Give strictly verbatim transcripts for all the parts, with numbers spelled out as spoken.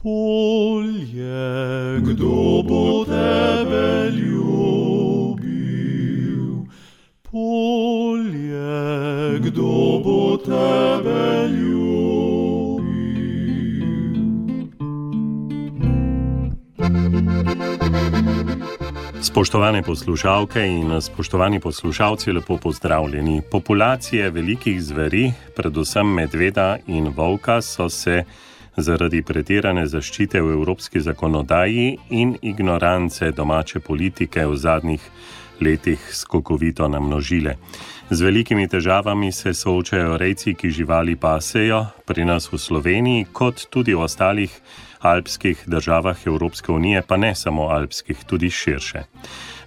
Polje, kdo bo tebe ljubil? Polje, kdo bo tebe ljubil? Spoštovane poslušalke in spoštovani poslušalci, lepo pozdravljeni. Populacije velikih zveri, predvsem medveda in volka, so se zaradi pretirane zaščite v evropski zakonodaji in ignorance domače politike v zadnjih letih skokovito namnožile. Z velikimi težavami se soočajo rejci, ki živali pasejo, pri nas v Sloveniji, kot tudi v ostalih alpskih državah Evropske unije, pa ne samo alpskih, tudi širše.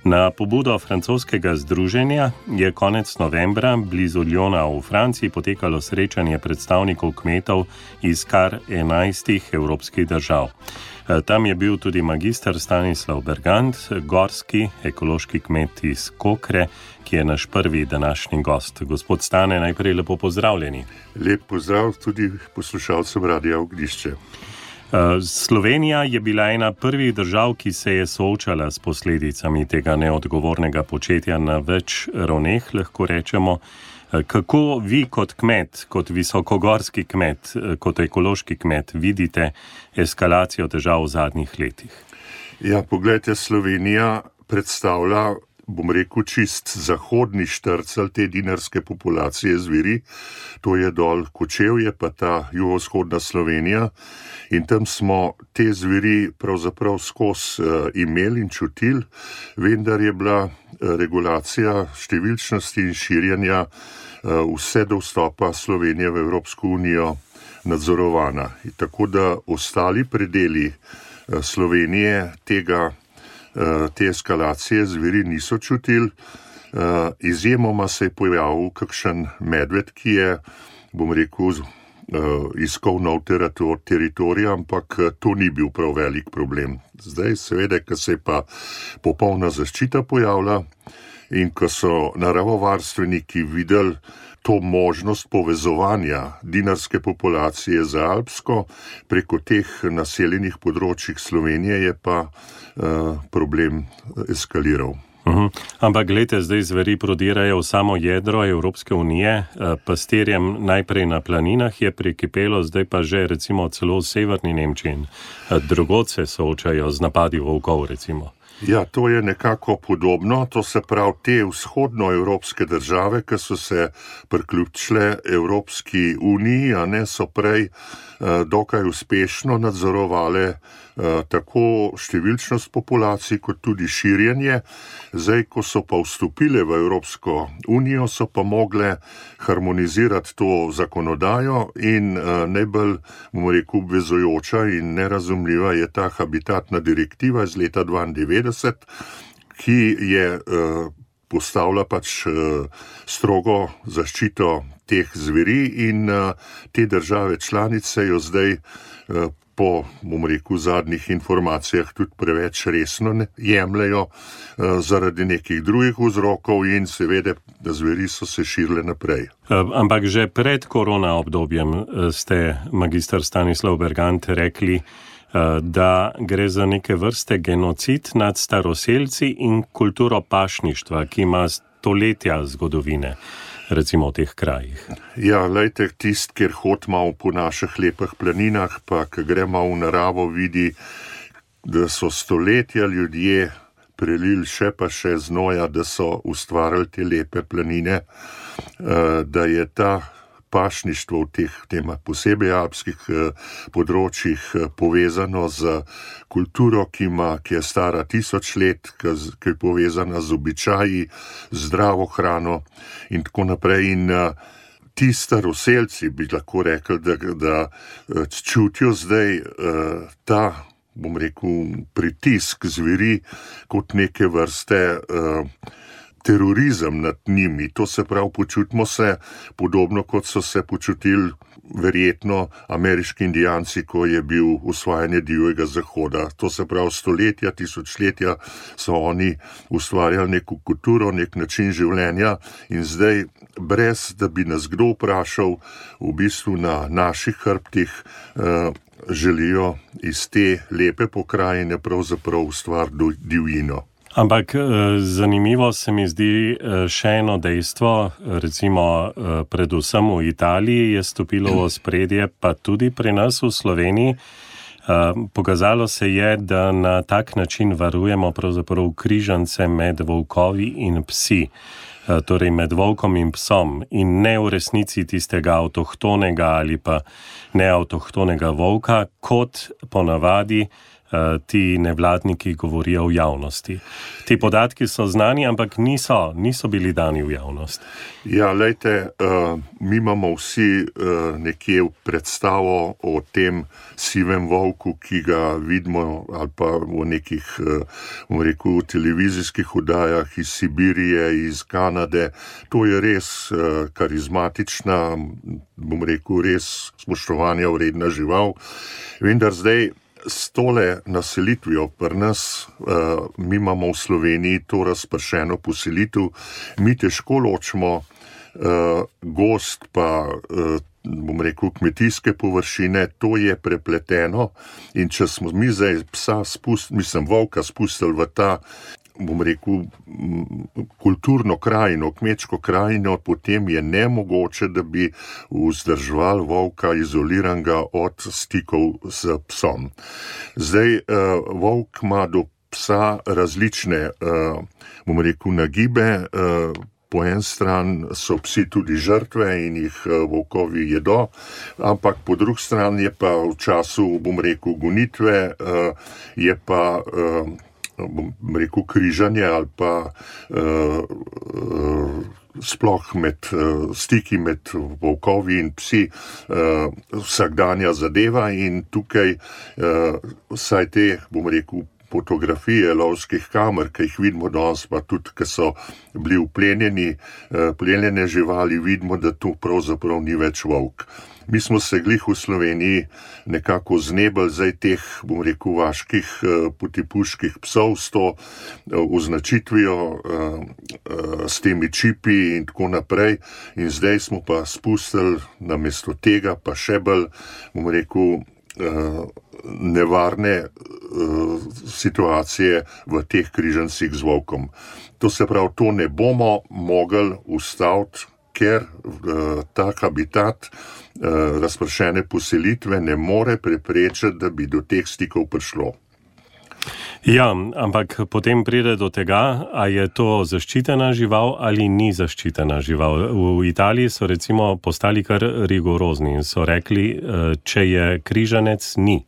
Na pobudo francoskega združenja je konec novembra blizu Lyona v Franciji potekalo srečanje predstavnikov kmetov iz kar enajstih evropskih držav. Tam je bil tudi magister Stanislav Bergant, gorski ekološki kmet iz Kokre, ki je naš prvi današnji gost. Gospod Stane, najprej lepo pozdravljeni. Lep pozdrav tudi poslušalcem Radia Ognjišče. Slovenija je bila ena prvih držav, ki se je soočala s posledicami tega neodgovornega početja na več ravneh, lahko rečemo. Kako vi kot kmet, kot visokogorski kmet, kot ekološki kmet vidite eskalacijo težav v zadnjih letih? Ja, poglejte, Slovenija predstavlja, bom rekel, čist zahodni štrcelj te dinarske populacije zveri. To je dol Kočevje, pa ta jugovzhodna Slovenija. In tam smo te zveri pravzaprav skozi uh, imeli in čutili, vendar je bila uh, regulacija številčnosti in širjenja uh, vse do vstopa Slovenije v Evropsko unijo nadzorovana. In tako da ostali predeli uh, Slovenije tega, uh, te eskalacije zveri niso čutili. Uh, izjemoma se je pojavil kakšen medved, ki je, bom rekel, Uh, iskal nov teritorij, ampak to ni bil prav velik problem. Zdaj, seveda, ko se je pa popolna zaščita pojavila in ko so naravovarstveniki videli to možnost povezovanja dinarske populacije z alpsko preko teh naseljenih področjih Slovenije, je pa uh, problem eskaliral. Uhum. Ampak gledajte, zdaj zveri prodirajo v samo jedro Evropske unije, pastirjem najprej na planinah je prekipelo, zdaj pa že recimo celo v severni Nemčiji. Drugod se soočajo z napadi volkov, recimo. Ja, to je nekako podobno, to se pravi te vzhodnoevropske države, ki so se priključile Evropski uniji, a ne so prej uh, dokaj uspešno nadzorovale uh, tako številčnost populacij, kot tudi širjenje. Zdaj, ko so pa vstopile v Evropsko unijo, so pa mogle harmonizirati to zakonodajo in uh, najbolj, bomo rekel, obvezujoča in nerazumljiva je ta habitatna direktiva iz leta dvaindevetdeset, ki je uh, postavila pač uh, strogo zaščito teh zveri in uh, te države članice jo zdaj uh, po, bom rekel, zadnjih informacijah tudi preveč resno ne jemljajo uh, zaradi nekih drugih vzrokov in seveda, da zveri so se širile naprej. Ampak že pred korona obdobjem ste, magister Stanislav Bergant, rekli, da gre za neke vrste genocid nad staroselci in kulturo pašništva, ki ima stoletja zgodovine, recimo v teh krajih. Ja, lejte, tist, kjer hod malo po naših lepih planinah, pa ki gre malo v naravo, vidi, da so stoletja ljudje prelili še pa še znoja, da so ustvarili te lepe planine, da je ta pašništvo v teh tema posebej alpskih področjih povezano z kulturo, ki ima, ki je stara tisoč let, ki je povezana z običaji, zdravo hrano in tako naprej. In ti staroselci bi lahko rekli, da, da čutijo zdaj ta, bom rekel, pritisk zveri kot neke vrste terorizem nad njimi. To se pravi, počutimo se podobno, kot so se počutili verjetno ameriški indijanci, ko je bil osvajanje divjega zahoda. To se pravi, stoletja, tisočletja so oni ustvarjali neko kulturo, nek način življenja in zdaj, brez da bi nas kdo vprašal, v bistvu na naših hrbtih želijo iz te lepe pokrajine pravzaprav ustvariti divjino. Ampak zanimivo se mi zdi še eno dejstvo, recimo predvsem v Italiji je stopilo v ospredje, pa tudi pri nas v Sloveniji. Pokazalo se je, da na tak način varujemo pravzaprav križance med volkovi in psi, torej med volkom in psom, in ne v resnici tistega avtohtonega ali pa neavtohtonega volka, kot ponavadi ti nevladniki govorijo v javnosti. Ti podatki so znani, ampak niso, niso bili dani v javnost. Ja, lejte, uh, mi imamo vsi uh, nekje predstavo o tem sivem volku, ki ga vidimo ali pa v nekih, uh, bom rekel, televizijskih oddajah iz Sibirije, iz Kanade. To je res uh, karizmatična, bom rekel, res spoštovanja vredna žival. Vendar zdaj s tole naselitvijo pri nas, uh, mi imamo v Sloveniji to razpršeno poselitev, mi težko ločimo uh, gost pa, uh, bom rekel, kmetijske površine, to je prepleteno in če smo mi zdaj psa spustili, mislim, volka spustili v ta, bom rekel, kulturno krajino, kmečko krajino, potem je nemogoče, da bi vzdrževali volka izoliranega od stikov s psom. Zdaj, uh, volk ima do psa različne, uh, bom rekel, nagibe. Uh, po en stran so psi tudi žrtve in jih uh, volkovi jedo, ampak po drugi strani je pa v času, bom rekel, gonitve, uh, je pa uh, bom rekel, križanje ali pa uh, uh, sploh med uh, stiki med volkovi in psi uh, vsakdanja zadeva in tukaj uh, vsaj te, bom rekel, fotografije lovskih kamer, ki jih vidimo danes, pa tudi, ki so bili uplenjeni, uh, plenjene živali, vidimo, da to pravzaprav ni več volk. Mi smo se glih v Sloveniji nekako znebili zdaj teh, bom rekel, vaških potipuških psov s to označitvijo, s temi čipi in tako naprej. In zdaj smo pa spustili namesto tega pa še bolj, bom rekel, nevarne situacije v teh križancih z volkom. To se pravi, to ne bomo mogli ustaviti, ker uh, ta habitat uh, razpršene poselitve ne more preprečiti, da bi do teh stikov prišlo. Ja, ampak potem pride do tega, a je to zaščitena žival ali ni zaščitena žival. V Italiji so recimo postali kar rigorozni in so rekli, uh, če je križanec, ni.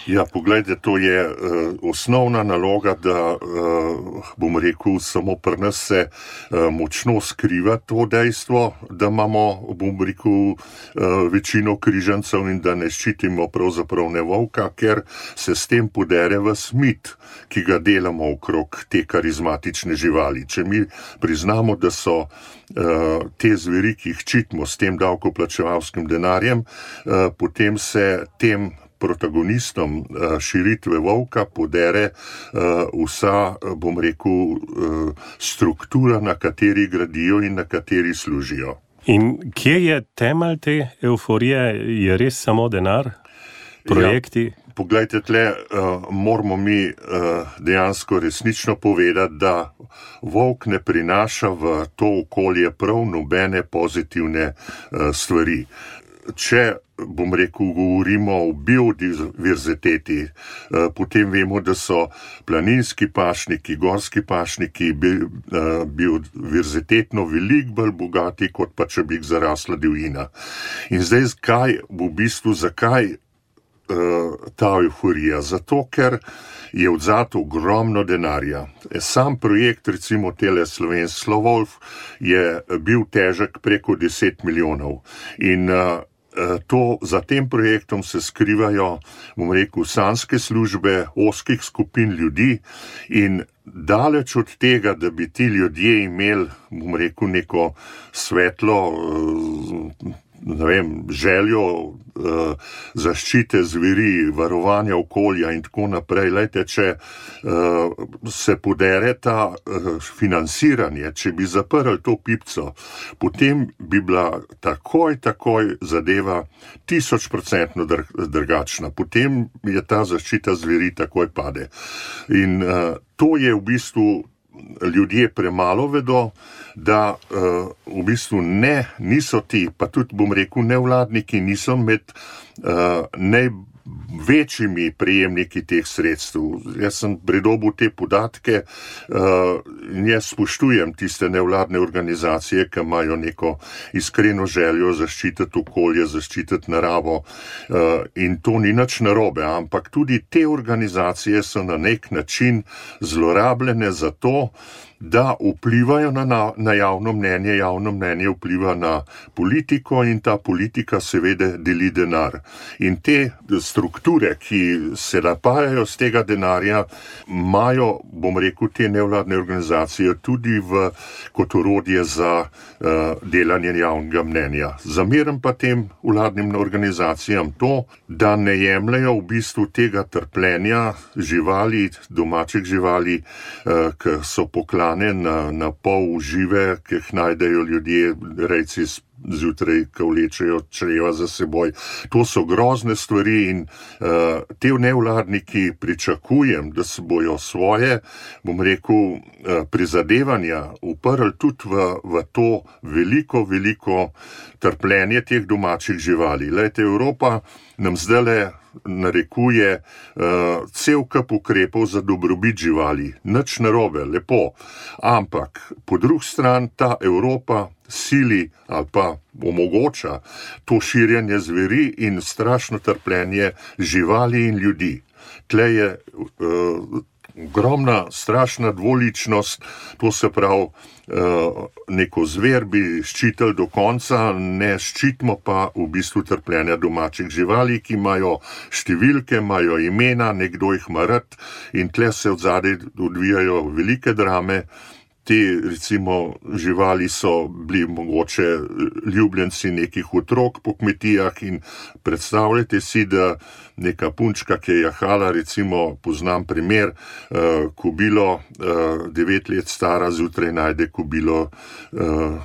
Ja, poglejte, to je uh, osnovna naloga, da, uh, bom rekel, samo pri nas se uh, močno skriva to dejstvo, da imamo, bom rekel, uh, večino križancev in da ne ščitimo pravzaprav ne volka, ker se s tem podere v smit, ki ga delamo okrog te karizmatične živali. Če mi priznamo, da so uh, te zveri, ki jih ščitimo s tem davkoplačevalskim denarjem, uh, potem se tem protagonistom širitve volka podere vsa, bom rekel, struktura, na kateri gradijo in na kateri služijo. In kje je temelj te euforije? Je res samo denar? Projekti? Ja, poglejte, tle uh, moramo mi uh, dejansko resnično povedati, da volk ne prinaša v to okolje prav nobene pozitivne uh, stvari. Če, bom rekel, govorimo o biodiverziteti, potem vemo, da so planinski pašniki, gorski pašniki biodiverzitetno veliko bolj bogati, kot pa če bi jih zarasla divjina. In zdaj, kaj v bistvu, zakaj ta euforija? Zato, ker je odzad ogromno denarja. Sam projekt, recimo tele Slovenski Slovolf, je bil težek preko deset milijonov. In to, za tem projektom se skrivajo, bom rekel, sanjske službe ozkih skupin ljudi in daleč od tega, da bi ti ljudje imeli, bom rekel, neko svetlo ne vem, željo uh, zaščite zveri, varovanja okolja in tako naprej. Lejte, če uh, se podere ta uh, financiranje, če bi zaprli to pipco, potem bi bila takoj, takoj zadeva tisočprocentno drugačna. Potem je ta zaščita zveri takoj pade. In uh, to je v bistvu ljudje premalo vedo, da uh, v bistvu ne, niso ti, pa tudi bom rekel, nevladniki niso med uh, največjimi prejemniki teh sredstev. Jaz sem predobil te podatke uh, in jaz spoštujem tiste nevladne organizacije, ki imajo neko iskreno željo zaščititi okolje, zaščititi naravo uh, in to ni nič narobe, ampak tudi te organizacije so na nek način zlorabljene za to, da vplivajo na, na, na javno mnenje, javno mnenje vpliva na politiko in ta politika seveda deli denar. In te strukture, ki se napajajo z tega denarja, imajo, bom rekel, te nevladne organizacije tudi v, kot orodje za uh, delanje javnega mnenja. Zameram pa tem vladnim organizacijam to, da ne jemljajo v bistvu tega trpljenja živali, domačih živali, uh, ki so poklane Na, na pol žive, ki jih najdejo ljudje, rejci zjutraj, ki vlečejo čreva za seboj. To so grozne stvari in uh, te nevladniki pričakujem, da se bojo svoje, bom rekel, uh, prizadevanja uprli tudi v, v to veliko, veliko trpljenje teh domačih živali. Lejte, Evropa nam zdajle narekuje uh, cel kup ukrepov za dobrobit živali. Nič narobe, lepo. Ampak po drugi strani ta Evropa sili ali pa omogoča to širjenje zveri in strašno trpljenje živali in ljudi. Tle je uh, ogromna, strašna dvoličnost, to se pravi, neko zver bi ščitili do konca, ne ščitimo pa v bistvu trpljenja domačih živali, ki imajo številke, imajo imena, nekdo jih ima rad in tle se od zadaj odvijajo velike drame. Te, recimo, živali so bili mogoče ljubljenci nekih otrok po kmetijah in predstavljajte si, da neka punčka, ki je jahala, recimo, poznam primer, uh, kobilo, uh, devet let stara, zjutraj najde kobilo uh,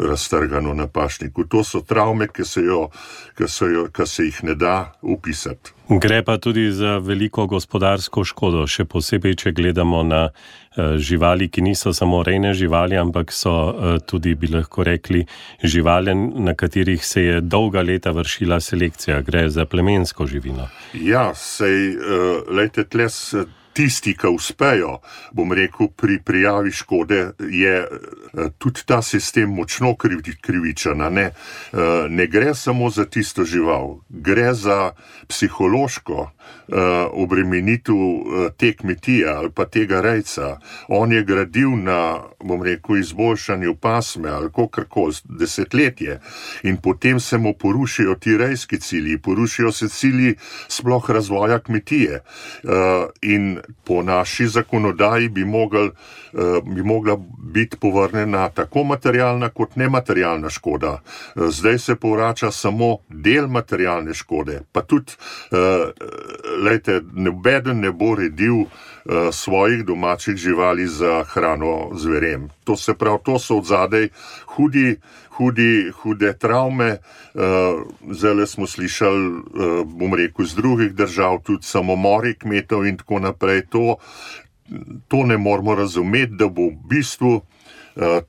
raztrgano na pašniku. To so travme, ki se, jo, ki se, jo, ki se jih ne da upisati. Gre pa tudi za veliko gospodarsko škodo, še posebej, če gledamo na uh, živali, ki niso samo rejne živali, ampak so uh, tudi, bi lahko rekli, živali, na katerih se je dolga leta vršila selekcija. Gre za plemensko živino. Ja, sej, uh, lejte, tles tisti, ki uspejo, bom rekel, pri prijavi škode, je uh, tudi ta sistem močno krivi, krivičen. Ne? Uh, ne gre samo za tisto žival, gre za psihološko uh, obremenitev uh, te kmetije ali pa tega rejca. On je gradil na, bom rekel, izboljšanju pasme ali kakorkoli desetletje in potem se mu porušijo ti rejski cilji, porušijo se cilji sploh razvoja kmetije. Uh, in po naši zakonodaji bi, mogel, uh, bi mogla biti povrnjena tako materialna kot nematerialna škoda. Uh, zdaj se povrača samo del materialne škode, pa tudi Uh, lejte, nobeden ne bo redil uh, svojih domačih živali za hrano zverem. To se pravi, to so od zadaj hudi, hudi, hude travme. Uh, zdaj smo slišali, uh, bom rekel, z drugih držav, tudi samomori kmetov in tako naprej. To, to ne moramo razumeti, da bo v bistvu uh,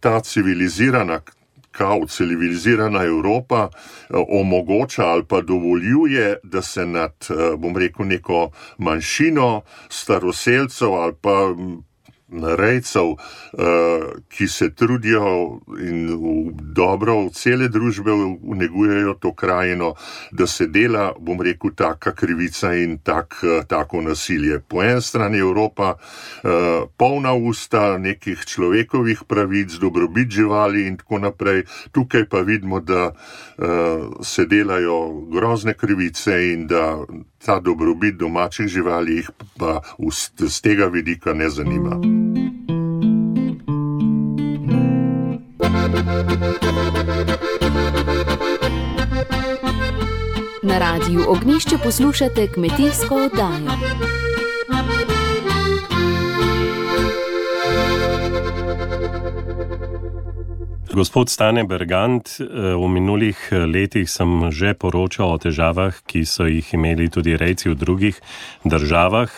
ta civilizirana kao civilizirana Evropa omogoča ali pa dovoljuje, da se nad, bom rekel, neko manjšino staroselcev ali pa rejcev, ki se trudijo in v dobro cele družbe negujejo to krajino, da se dela, bom rekel, taka krivica in tak, tako nasilje. Po eni strani Evropa polna usta nekih človekovih pravic, dobrobit živali in tako naprej, tukaj pa vidimo, da se delajo grozne krivice in da ta dobrobit domačih živali jih pa z tega vidika ne zanima. Na Radiu Ognjišče poslušate kmetijsko oddajo. Gospod Stane Bergant, v minulih letih sem že poročal o težavah, ki so jih imeli tudi rejci v drugih državah.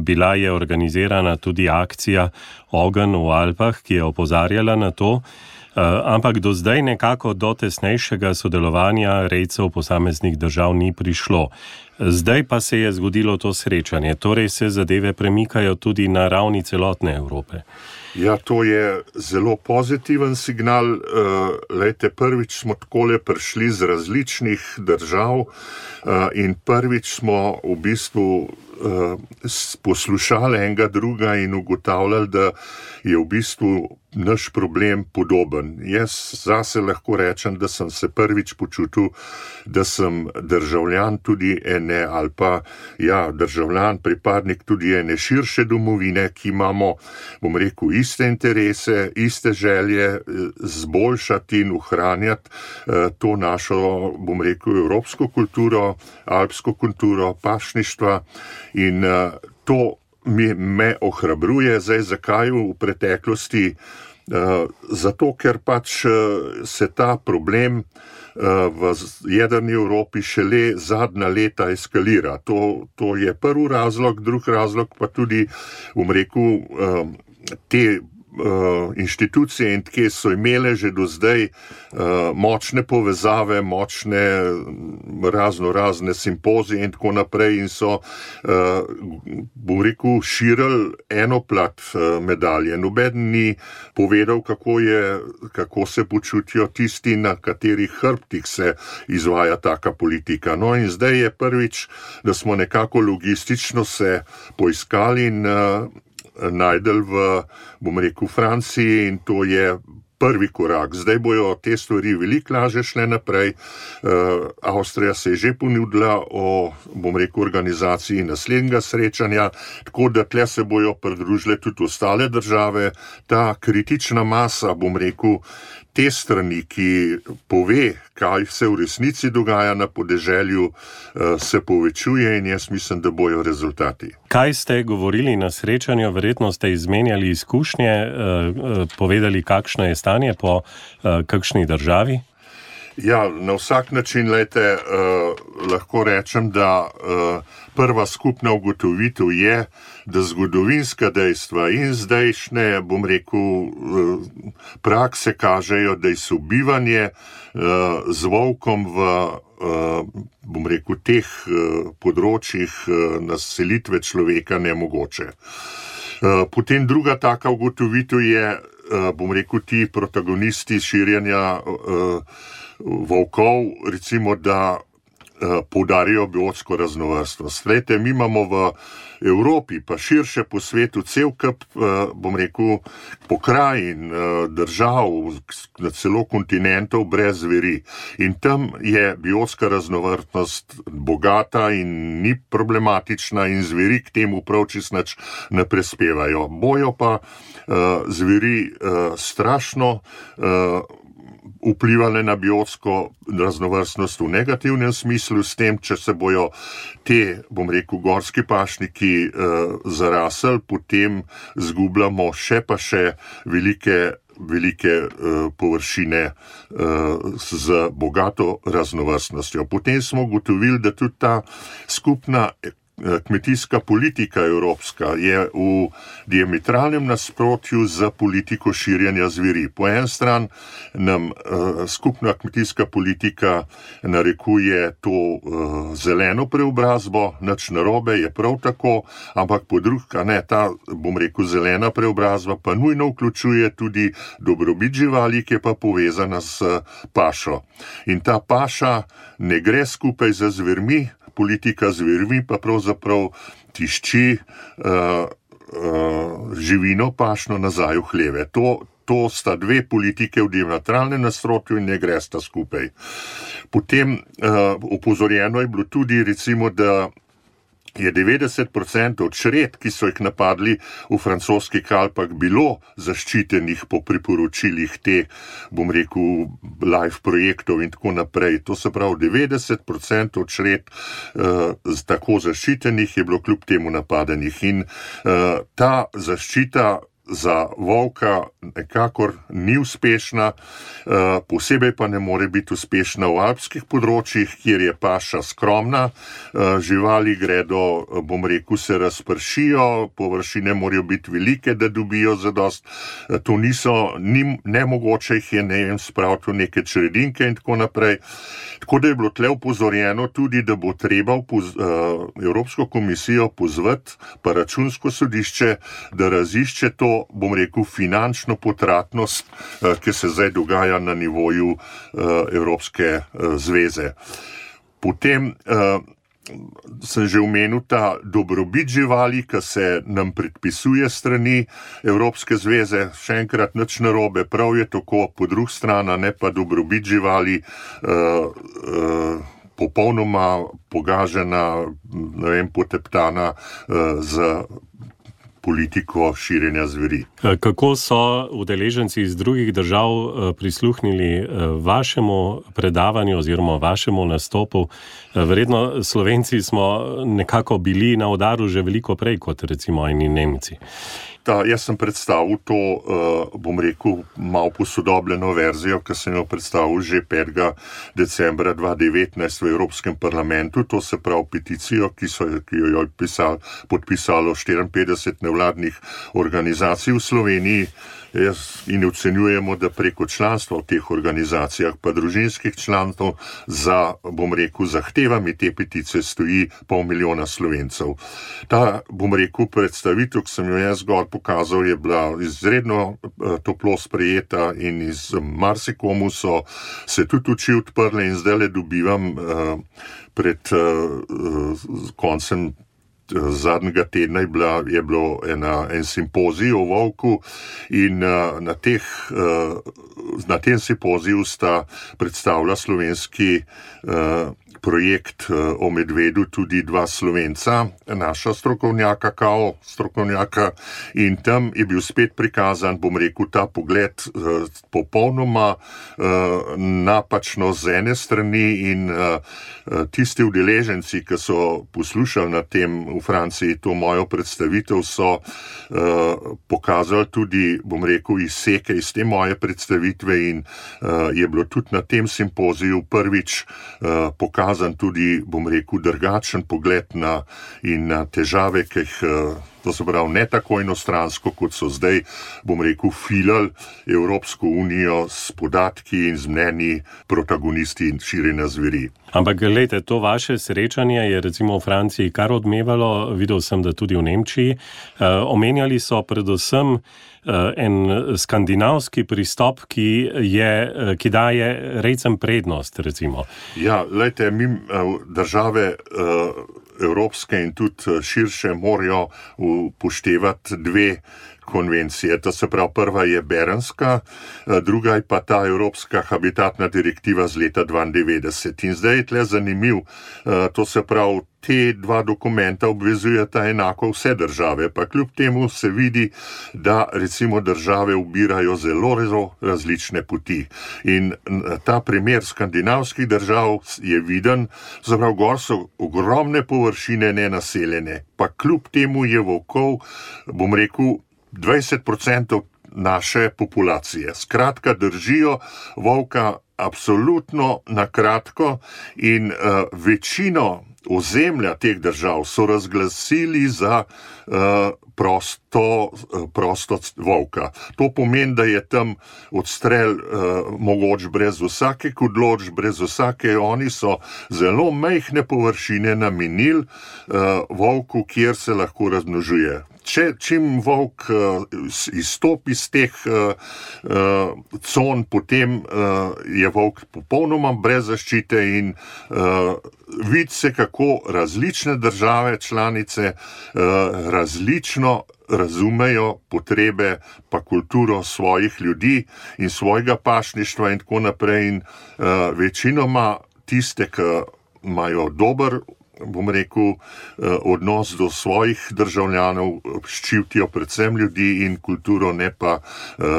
Bila je organizirana tudi akcija Ogenj v Alpah, ki je opozarjala na to, ampak do zdaj nekako do tesnejšega sodelovanja rejcev posameznih držav ni prišlo. Zdaj pa se je zgodilo to srečanje, torej se zadeve premikajo tudi na ravni celotne Evrope. Ja, to je zelo pozitiven signal. Lejte, prvič smo takole prišli z različnih držav in prvič smo v bistvu poslušali enega druga in ugotavljali, da je v bistvu naš problem podoben. Jaz zase lahko rečem, da sem se prvič počutil, da sem državljan tudi ene, ali pa ja, državljan, pripadnik tudi ene širše domovine, ki imamo, bom rekel, iste interese, iste želje zboljšati in ohranjati to našo, bom rekel, evropsko kulturo, alpsko kulturo, pašništva in to mi, me ohrabruje. Zdaj, zakaj v preteklosti? Zato, ker pač se ta problem v jedrni Evropi šele zadnja leta eskalira. To, to je prvi razlog, drugi razlog pa tudi, bom rekel, te inštitucije in tke so imele že do zdaj močne povezave, močne razno razne simpozije in tako naprej in so, bom rekel, širili eno plat medalje. Noben ni povedal, kako je, kako se počutijo tisti, na katerih hrbtih se izvaja taka politika. No in zdaj je prvič, da smo nekako logistično se poiskali in najdel v, bom rekel, Franciji in to je prvi korak. Zdaj bojo te stvari veliko lažje šle naprej. Avstrija se je že ponudila o, bom rekel, organizaciji naslednjega srečanja, tako da tle se bojo pridružile tudi ostale države. Ta kritična masa, bom rekel, te strani, ki pove, kaj se v resnici dogaja na podeželju, se povečuje in jaz mislim, da bojo rezultati. Kaj ste govorili na srečanju? Verjetno ste izmenjali izkušnje, povedali, kakšno je stanje po kakšni državi? Ja, na vsak način, lejte, eh, lahko rečem, da eh, prva skupna ugotovitev je, da zgodovinska dejstva in zdajšnje, bom rekel, eh, prakse kažejo, da je sobivanje eh, z volkom v, eh, bom rekel, teh eh, področjih eh, naselitve človeka nemogoče. Eh, potem druga taka ugotovitev je, eh, bom rekel, ti protagonisti širjenja eh, volkov, recimo, da eh, poudarijo biotsko raznovrstnost. Glejte, mi imamo v Evropi, pa širše po svetu, cel kup, eh, bom rekel, pokrajin, eh, držav, na celo kontinentov brez zveri. In tam je biotska raznovrstnost bogata in ni problematična in zveri k temu prav čisto nič ne prispevajo. Bojo pa eh, zveri eh, strašno eh, vplivale na biotsko raznovrstnost v negativnem smislu, s tem, če se bojo te, bom rekel, gorski pašniki eh, zarasli, potem zgubljamo še pa še velike, velike eh, površine eh, z bogato raznovrstnostjo. Potem smo ugotovili, da tudi ta skupna kmetijska politika evropska je v diametralnem nasprotju z politiko širjenja zveri. Po en stran nam uh, skupna kmetijska politika narekuje to uh, zeleno preobrazbo, nič narobe, je prav tako, ampak po drugi, ne, ta, bom rekel, zelena preobrazba pa nujno vključuje tudi dobrobit živali, ki je pa povezana s pašo. In ta paša ne gre skupaj z zvermi, politika zvermi pa pravzaprav tišči uh, uh, živino pašno nazaj v hleve. To, to sta dve politike v diametralnem nasprotju in ne gresta skupaj. Potem uh, opozorjeno je bilo tudi, recimo, da je devetdeset procentov čred, ki so jih napadli v francoskih Alpah, bilo zaščitenih po priporočilih teh, bom rekel, live projektov in tako naprej. To se pravi, devetdeset procentov čred uh, tako zaščitenih je bilo kljub temu napadenih. In uh, ta zaščita za volka nekakor ni uspešna, posebej pa ne more biti uspešna v alpskih področjih, kjer je paša skromna, živali gredo, bom rekel, se razpršijo, površine morajo biti velike, da dobijo zadost, to niso, ni, nemogoče jih je, ne vem, spraviti v neke čredinke in tako naprej. Tako da je bilo tle upozorjeno tudi, da bo treba poz, uh, Evropsko komisijo pozvati, pa Računsko sodišče, da razišče to, bom rekel, finančno potratnost, uh, ki se zdaj dogaja na nivoju uh, Evropske uh, zveze. Potem uh, sem že omenil ta dobrobit živali, ki se nam predpisuje strani Evropske zveze, še enkrat nič narobe, prav je tako, po drugi strani, ne pa dobrobit živali, uh, uh, popolnoma pogažena, ne vem, poteptana uh, z politiko širjenja zveri. Kako so udeleženci iz drugih držav prisluhnili vašemu predavanju oziroma vašemu nastopu? Verjetno Slovenci smo nekako bili na udaru že veliko prej kot recimo eni Nemci. Ta, jaz sem predstavil to, uh, bom rekel, malo posodobljeno verzijo, ki sem jo predstavil že petega decembra dva tisoč devetnajst v Evropskem parlamentu, to se pravi peticijo, ki, so, ki jo je pisal, podpisalo štiriinpetdeset nevladnih organizacij v Sloveniji. Jaz in ocenjujemo, da preko članstva v teh organizacijah, pa družinskih članstv, za, bom rekel, zahtevami te petice stoji pol milijona Slovencev. Ta, bom rekel, predstavitev, ki sem jo jaz gor pokazal, je bila izredno toplo sprejeta in iz marsikomu so se tudi oči odprle in zdaj le dobivam uh, pred uh, koncem zadnjega tedna je, bila, je bilo ena, en simpozij o volku in uh, na, teh, uh, na tem simpoziju sta predstavila slovenski uh, projekt uh, o medvedu tudi dva Slovenca, naša strokovnjaka, kao strokovnjaka, in tam je bil spet prikazan, bom rekel, ta pogled uh, popolnoma uh, napačno z ene strani in uh, tisti udeleženci, ki so poslušali na tem v Franciji to mojo predstavitev, so uh, pokazali tudi, bom rekel, izseke iz te moje predstavitve in uh, je bilo tudi na tem simpoziju prvič uh, pokazan tudi, bom rekel, drugačen pogled na in na težave, ki jih uh, to se pravi ne tako enostransko, kot so zdaj, bom rekel, filali Evropsko unijo s podatki in z mnenji protagonisti in širjenja zveri. Ampak gledajte, to vaše srečanje je recimo v Franciji kar odmevalo, videl sem, da tudi v Nemčiji. Uh, omenjali so predvsem uh, en skandinavski pristop, ki, je, ki daje rejcem prednost, recimo. Ja, gledajte, mi uh, države uh, evropske in tudi širše morajo upoštevati dve konvencije. To se pravi, prva je Berenska, druga je pa ta Evropska habitatna direktiva z leta dvaindevetdeset. In zdaj je tle zanimiv, to se pravi, te dva dokumenta obvezujeta enako vse države, pa kljub temu se vidi, da recimo države ubirajo zelo, zelo različne poti. In ta primer skandinavskih držav je viden, zaprav gor so ogromne površine nenaseljene, pa kljub temu je volkov, bom rekel, dvajset procentov naše populacije. Skratka, držijo volka absolutno na kratko in uh, večino ozemlja teh držav so razglasili za uh, prosto, uh, prosto volka. To pomeni, da je tam odstrel uh, mogoč brez vsake odločb, brez vsake, oni so zelo majhne površine namenili uh, volku, kjer se lahko razmnožuje. Če čim volk uh, izstopi iz teh uh, uh, con, potem uh, je volk popolnoma brez zaščite in uh, vidi se, kako različne države članice uh, različno razumejo potrebe pa kulturo svojih ljudi in svojega pašništva in tako naprej. In uh, večinoma tiste, ki imajo dober bom rekel, odnos do svojih državljanov, ščitijo predvsem ljudi in kulturo, ne pa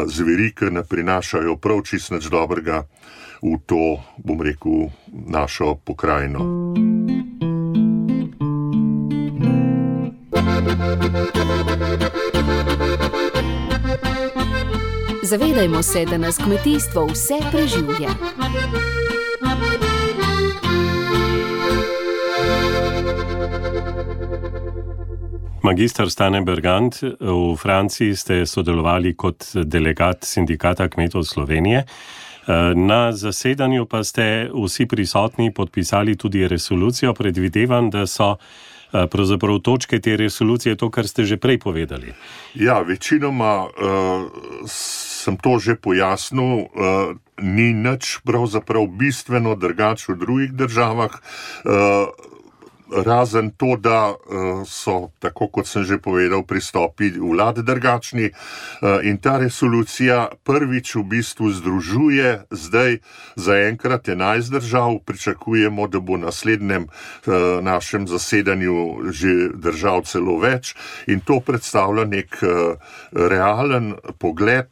zveri, ki ne prinašajo prav čist nič dobrega v to, bom rekel, našo pokrajino. Zavedajmo se, da nas kmetijstvo vse preživlja. Magister Stane Bergant, v Franciji ste sodelovali kot delegat Sindikata kmetov Slovenije. Na zasedanju pa ste vsi prisotni podpisali tudi resolucijo. Predvidevam, da so pravzaprav točke te resolucije to, kar ste že prej povedali. Ja, večinoma uh, sem to že pojasnil. Uh, ni nič pravzaprav bistveno drugače v drugih državah. Uh, Razen to, da so, tako kot sem že povedal, pristopi vlad drugačni in ta resolucija prvič v bistvu združuje zdaj zaenkrat enajst držav. Pričakujemo, da bo na naslednjem našem zasedanju že držav celo več in to predstavlja nek realen pogled,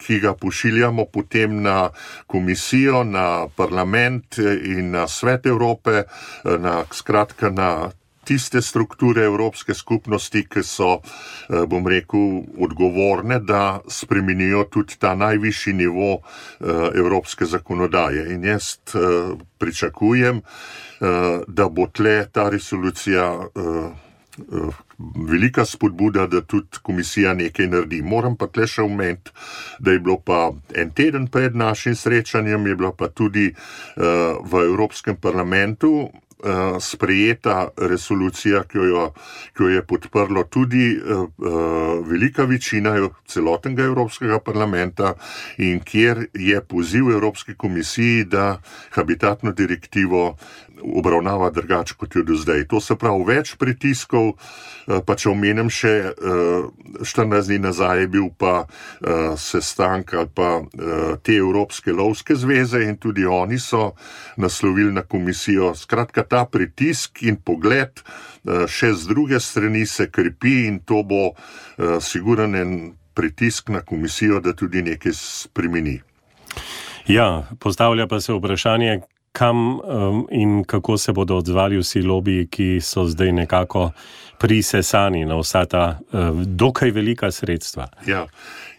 ki ga pošiljamo potem na komisijo, na parlament in na Svet Evrope, na skratka na tiste strukture Evropske skupnosti, ki so, bom rekel, odgovorne, da spremenijo tudi ta najvišji nivo evropske zakonodaje. In jaz pričakujem, da bo tle ta resolucija velika spodbuda, da tudi komisija nekaj naredi. Moram pa tle še omeniti, da je bilo pa en teden pred našim srečanjem, je bila pa tudi v Evropskem parlamentu sprejeta resolucija, ki jo, ki jo je podprlo tudi uh, velika večina celotnega Evropskega parlamenta in kjer je poziv Evropski komisiji, da habitatno direktivo obravnava drugače kot jo do zdaj. To se pravi več pritiskov, pa če omenim še štirinajst dni nazaj je bil pa sestank ali pa te Evropske lovske zveze in tudi oni so naslovili na komisijo. Skratka, ta pritisk in pogled še z druge strani se krepi in to bo siguren en pritisk na komisijo, da tudi nekaj spremeni. Ja, postavlja pa se vprašanje, kam um, in kako se bodo odzvali vsi lobiji, ki so zdaj nekako prisesani na vsa ta uh, dokaj velika sredstva. Ja,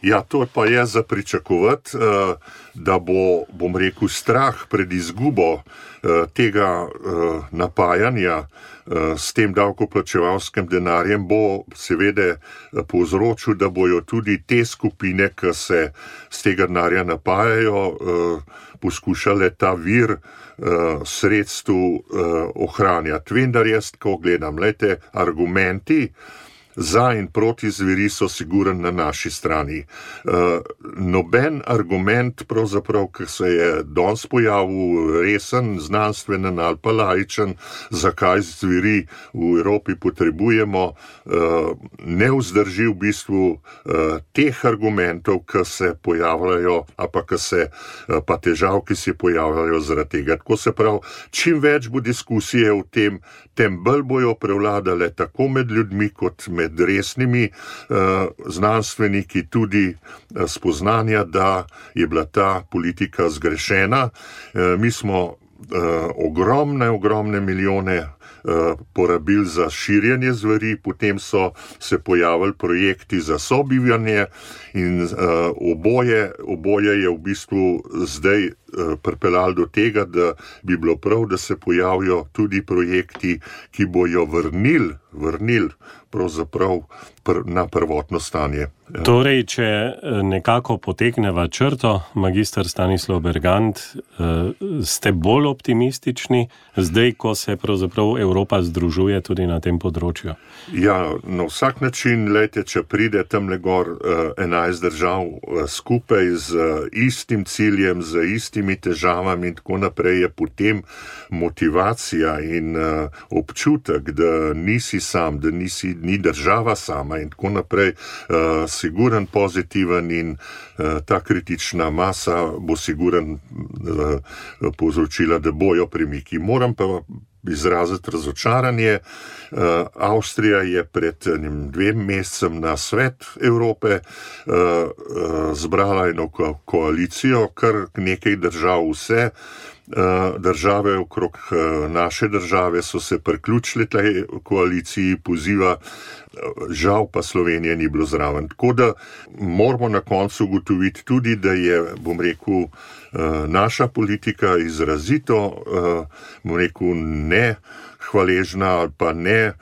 ja, to pa je za pričakovati, uh, da bo, bom rekel, strah pred izgubo uh, tega uh, napajanja uh, s tem davkoplačevalskim denarjem bo seveda povzročil, da bojo tudi te skupine, ki se z tega denarja napajajo, uh, poskušale ta vir Uh, sredstvu uh, ohranjati. Vendar jaz, ko gledam, lejte, argumenti za in proti zveri so siguren na naši strani. Uh, noben argument, pravzaprav, ki se je danes pojavil, resen, znanstvenen ali pa laičen, zakaj zveri v Evropi potrebujemo, uh, ne vzdrži v bistvu uh, teh argumentov, ki se pojavljajo, a pa, ki se, uh, pa težav, ki se pojavljajo zaradi tega. Tako se pravi, čim več bo diskusije o tem, tem bolj bojo prevladale tako med ljudmi kot med resnimi uh, znanstveniki tudi uh, spoznanja, da je bila ta politika zgrešena. Uh, mi smo uh, ogromne, ogromne milijone uh, porabili za širjenje zveri, potem so se pojavili projekti za sobivanje in uh, oboje, oboje je v bistvu zdaj pripeljali do tega, da bi bilo prav, da se pojavijo tudi projekti, ki bojo vrnili, vrnili pravzaprav pr- na prvotno stanje. Torej, če nekako potegneva črto, magister Stanislav Bergant, ste bolj optimistični zdaj, ko se pravzaprav Evropa združuje tudi na tem področju? Ja, na vsak način, lejte, če pride tamle gor enajst držav skupaj z istim ciljem, z istimi težavami in tako naprej, je potem motivacija in uh, občutek, da nisi sam, da nisi, ni država sama in tako naprej, uh, siguren, pozitiven in uh, ta kritična masa bo siguren uh, povzročila, da bojo premiki. Moram pa izraziti razočaranje. Avstrija je pred dvem mesecem na Svet Evrope zbrala eno koalicijo, kar nekaj držav vse. Države okrog naše države so se priključile tej koaliciji, poziva, žal pa Slovenije ni bilo zraven. Tako da moramo na koncu ugotoviti tudi, da je, bom rekel, naša politika izrazito, bom rekel, ne hvaležna ali pa ne,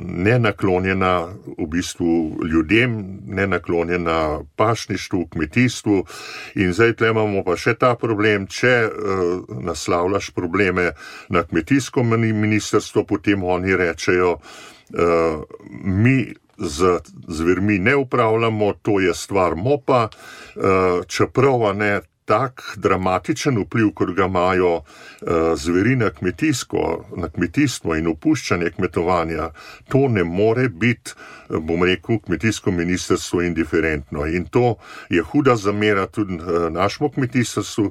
ne naklonjena v bistvu ljudem, ne naklonjena pašništvu, kmetijstvu. In zdaj tle imamo pa še ta problem, če uh, naslavljaš probleme na kmetijsko ministrstvo, potem oni rečejo, uh, mi z zvermi ne upravljamo, to je stvar mopa, uh, čeprav ne tak dramatičen vpliv, kot ga imajo uh, zveri na kmetijsko, na kmetijstvo in opuščanje kmetovanja, to ne more biti, bom rekel, kmetijsko ministrstvo indiferentno. In to je huda zamera tudi uh, našemu kmetijstvu,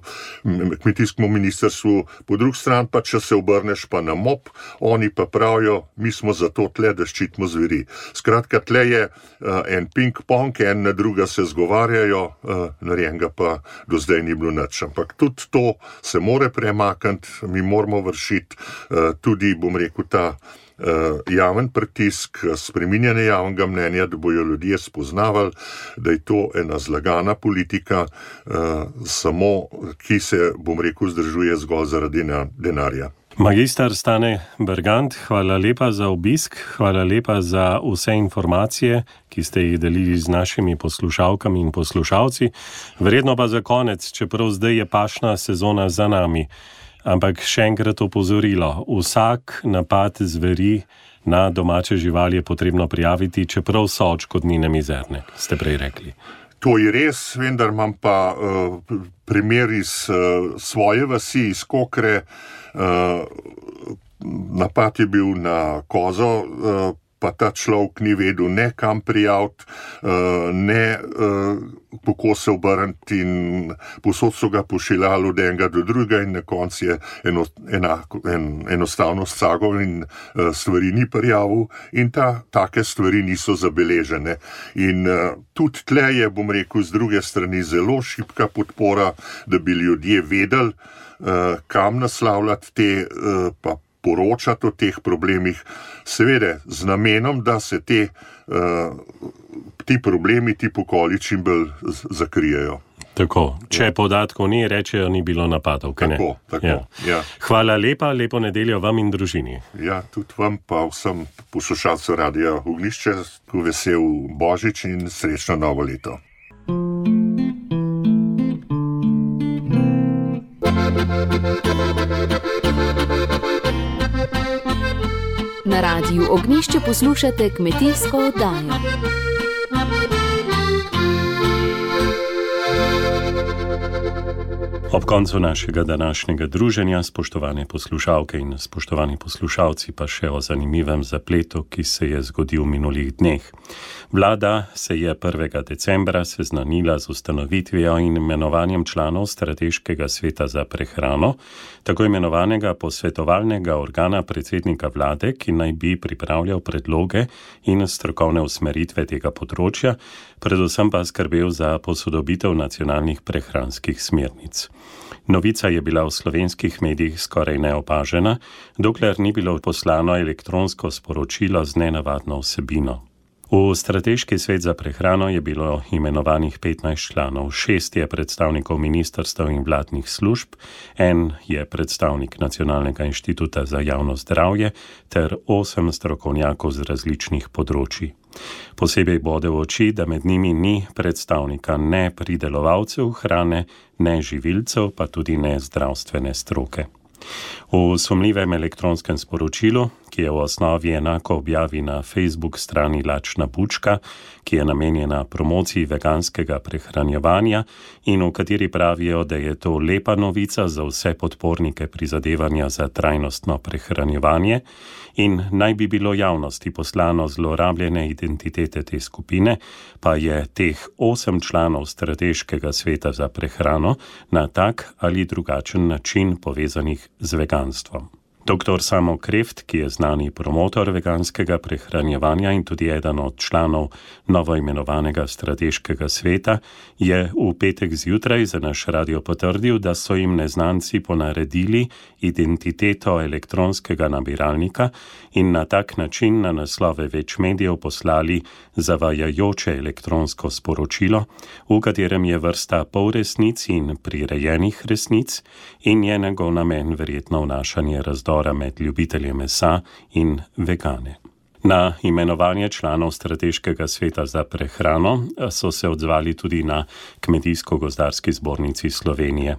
kmetijskemu ministrstvu. Po drugi strani pa, če se obrneš pa na M O P, oni pa pravijo, mi smo zato tle, da ščitimo zveri. Skratka, tle je uh, en ping-pong, en na druga se zgovarjajo, uh, narejenega pa do zdaj ni bilo nič. Ampak tudi to se more premakniti, mi moramo vršiti uh, tudi, bom rekel, ta uh, javen pritisk, spreminjanje javnega mnenja, da bojo ljudje spoznavali, da je to ena zlagana politika, uh, samo, ki se, bom rekel, zdržuje zgolj zaradi denarja. Magister Stane Bergant, hvala lepa za obisk, hvala lepa za vse informacije, ki ste jih delili z našimi poslušalkami in poslušalci. Verjetno pa za konec, čeprav zdaj je pašna sezona za nami, ampak še enkrat opozorilo, vsak napad zveri na domače živali je potrebno prijaviti, čeprav so odškodnine mizerne, ste prej rekli. To je res, vendar imam pa uh, primer iz uh, svoje vasi, iz Kokre. Uh, napad je bil na kozo, uh, pa ta človek ni vedel ne kam prijaviti, uh, ne uh, kako se obrniti in posod so ga pošiljali od enega do drugega in na koncu je eno, enako, en, enostavno scagal in uh, stvari ni prijavil in ta, take stvari niso zabeležene. In uh, tudi tle je, bom rekel, z druge strani zelo šibka podpora, da bi ljudje vedeli, uh, kam naslavljati te uh, pa poročati o teh problemih, seveda z namenom, da se te, uh, ti problemi, ti pokoli čim bolj zakrijejo. Tako, če ja. Podatkov ni, rečejo, ni bilo napadov. Tako, tako, ja. Ja. Hvala lepa, lepo nedeljo vam in družini. Ja, tudi vam pa vsem poslušalcem Radia Ognjišče, vesel Božič in srečno novo leto. Na Radiu Ognjišče poslušate kmetijsko oddajo. Ob koncu našega današnjega druženja, spoštovane poslušalke in spoštovani poslušalci, pa še o zanimivem zapletu, ki se je zgodil v minulih dneh. Vlada se je prvega decembra seznanila z ustanovitvijo in imenovanjem članov Strateškega sveta za prehrano, tako imenovanega posvetovalnega organa predsednika vlade, ki naj bi pripravljal predloge in strokovne usmeritve tega področja, predvsem pa skrbel za posodobitev nacionalnih prehranskih smernic. Novica je bila v slovenskih medijih skoraj neopažena, dokler ni bilo poslano elektronsko sporočilo z nenavadno vsebino. V Strateški svet za prehrano je bilo imenovanih petnajst članov, šest je predstavnikov ministrstev in vladnih služb, en je predstavnik Nacionalnega inštituta za javno zdravje ter osem strokovnjakov z različnih področij. Posebej bode v oči, da med njimi ni predstavnika ne pridelovalcev hrane, ne živilcev, pa tudi ne zdravstvene stroke. V sumljivem elektronskem sporočilu, ki je v osnovi enako objavi na Facebook strani Lačna bučka, ki je namenjena promociji veganskega prehranjevanja in v kateri pravijo, da je to lepa novica za vse podpornike prizadevanja za trajnostno prehranjevanje in naj bi bilo javnosti poslano zlorabljene identitete te skupine, pa je teh osem članov Strateškega sveta za prehrano na tak ali drugačen način povezanih z veganstvom. Doktor Samo Kreft, ki je znani promotor veganskega prehranjevanja in tudi eden od članov novoimenovanega strateškega sveta, je v petek zjutraj za naš radio potrdil, da so jim neznanci ponaredili identiteto elektronskega nabiralnika in na tak način na naslove več medijev poslali zavajajoče elektronsko sporočilo, v katerem je vrsta polresnic in prirejenih resnic in je njegov namen verjetno vnašanje razdora med ljubitelje mesa in vegane. Na imenovanje članov strateškega sveta za prehrano so se odzvali tudi na Kmetijsko-gozdarski zbornici Slovenije.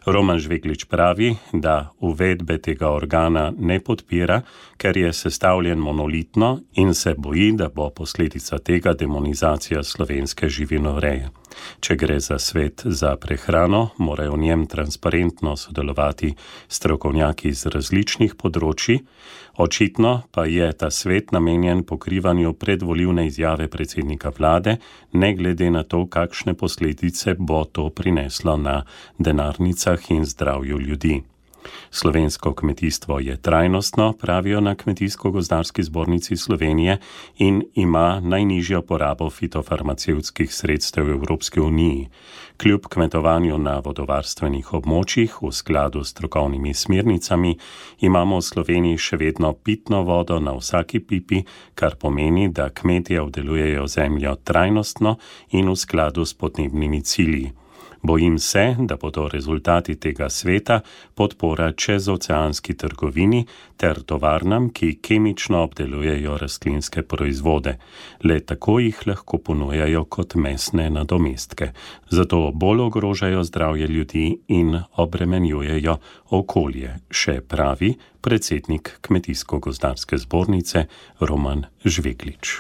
Roman Žveglič pravi, da uvedbe tega organa ne podpira, ker je sestavljen monolitno in se boji, da bo posledica tega demonizacija slovenske živinoreje. Če gre za svet za prehrano, morajo v njem transparentno sodelovati strokovnjaki iz različnih področji, očitno pa je ta svet namenjen pokrivanju predvolilne izjave predsednika vlade, ne glede na to, kakšne posledice bo to prineslo na denarnicah in zdravju ljudi. Slovensko kmetijstvo je trajnostno, pravijo na Kmetijsko-gozdarski zbornici Slovenije, in ima najnižjo porabo fitofarmacevtskih sredstev v Evropski uniji. Kljub kmetovanju na vodovarstvenih območjih v skladu s strokovnimi smernicami imamo v Sloveniji še vedno pitno vodo na vsaki pipi, kar pomeni, da kmetje obdelujejo zemljo trajnostno in v skladu s podnebnimi cilji. Bojim se, da bodo rezultati tega sveta podpora čezoceanski trgovini ter tovarnam, ki kemično obdelujejo rastlinske proizvode. Le tako jih lahko ponujajo kot mesne nadomestke. Zato bolj ogrožajo zdravje ljudi in obremenjujejo okolje, še pravi predsednik Kmetijsko-gozdarske zbornice Roman Žveglič.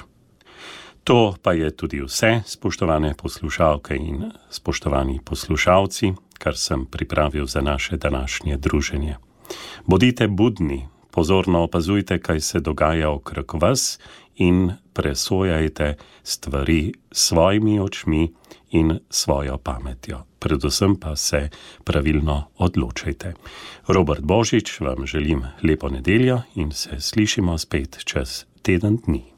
To pa je tudi vse, spoštovane poslušalke in spoštovani poslušalci, kar sem pripravil za naše današnje druženje. Bodite budni, pozorno opazujte, kaj se dogaja okrog vas in presojajte stvari s svojimi očmi in svojo pametjo. Predvsem pa se pravilno odločajte. Robert Božič vam želim lepo nedeljo in se slišimo spet čez teden dni.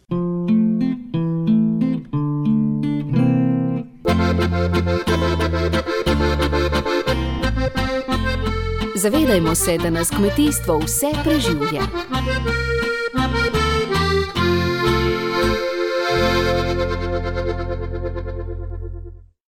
Zavedajmo se, da nas kmetijstvo vse preživlja.